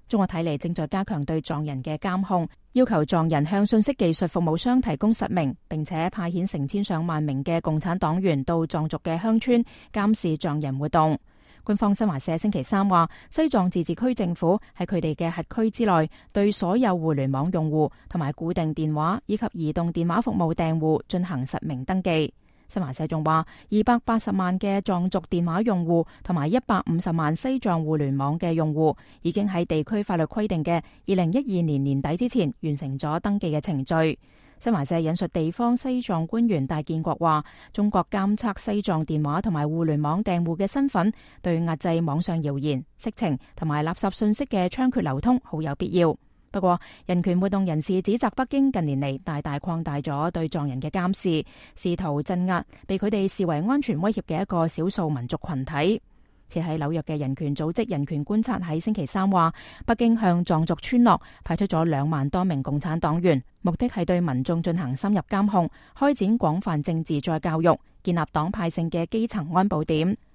中國睇嚟正在加強對藏人嘅監控，要求藏人向信息技術服務商提供實名，並且派遣成千上萬名嘅共產黨員到藏族嘅鄉村監視藏人活動。官方新華社星期三話，西藏自治區政府喺佢哋嘅轄區之內，對所有互聯網用戶同埋固定電話以及移動電話服務訂戶進行實名登記。新華社仲話，280萬嘅藏族電話用戶同埋150萬西藏互聯網嘅用戶，已經喺地區法律規定嘅2012年年底之前完成咗登記嘅程序。新華社引述地方西藏官員戴建國話，中國監測西藏電話同埋互聯網訂戶嘅身份，對壓制網上謠言、色情同埋垃圾信息嘅猖獗流通好有必要。不過，人權活動人士指責北京近年嚟大大擴大咗對藏人嘅監視，試圖鎮壓被佢哋視為安全威脅嘅一個少數民族群體。設喺紐約嘅人權組織人權觀察喺星期三話，北京向藏族村落派出咗2萬多名共產黨員，目的係對民眾進行深入監控，開展廣泛政治再教育，建立黨派性嘅基層安保點。